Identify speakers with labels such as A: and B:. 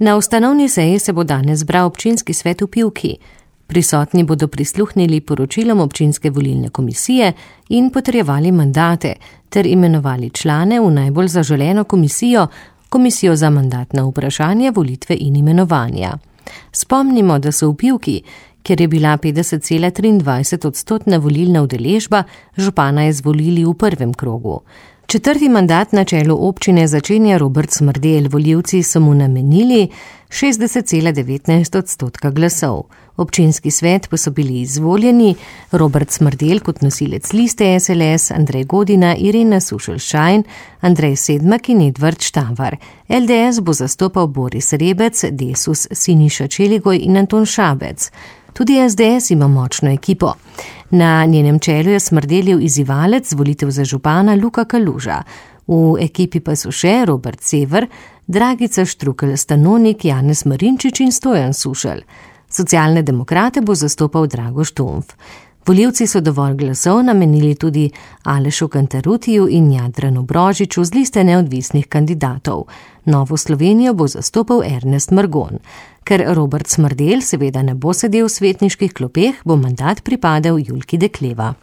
A: Na ustanovni seji se bo danes zbral občinski svet v Pivki. Prisotni bodo prisluhnili poročilom občinske volilne komisije in potrjevali mandate ter imenovali člane v najbolj zaželeno komisijo za mandatna vprašanja, volitve in imenovanja. Spomnimo, da so v Pivki, kjer je bila 50,23% volilna udeležba, župana izvolili v prvem krogu. 4. mandat na čelu občine začenja Robert Smrdelj, volivci so mu namenili 60,19% glasov. Občinski svet pa so bili izvoljeni Robert Smrdelj kot nosilec liste SLS, Andrej Godina, Irena Sušelj-Šajn, Andrej Sedmak in Edvard Štavar. LDS bo zastopal Boris Rebec, Desus Siniša Čeligoj in Anton Šabec. Tudi SDS ima močno ekipo. Na njenem čelu je Smrdeljev izzivalec volitev za župana Luka Kaluža. V ekipi pa so še Robert Sever, Dragica Štrukelj-Stanonik, Janez Marinčič in Stojan Sušelj. Socialne demokrate bo zastopal Drago Štumf. Volivci so dovolj glasov namenili tudi Alešu Kantarutiju in Jadranu Brožiču z liste neodvisnih kandidatov. Novo Slovenijo bo zastopal Ernest Margon. Ker Robert Smrdelj seveda ne bo sedel v svetniških klopeh, bo mandat pripadel Julki Dekleva.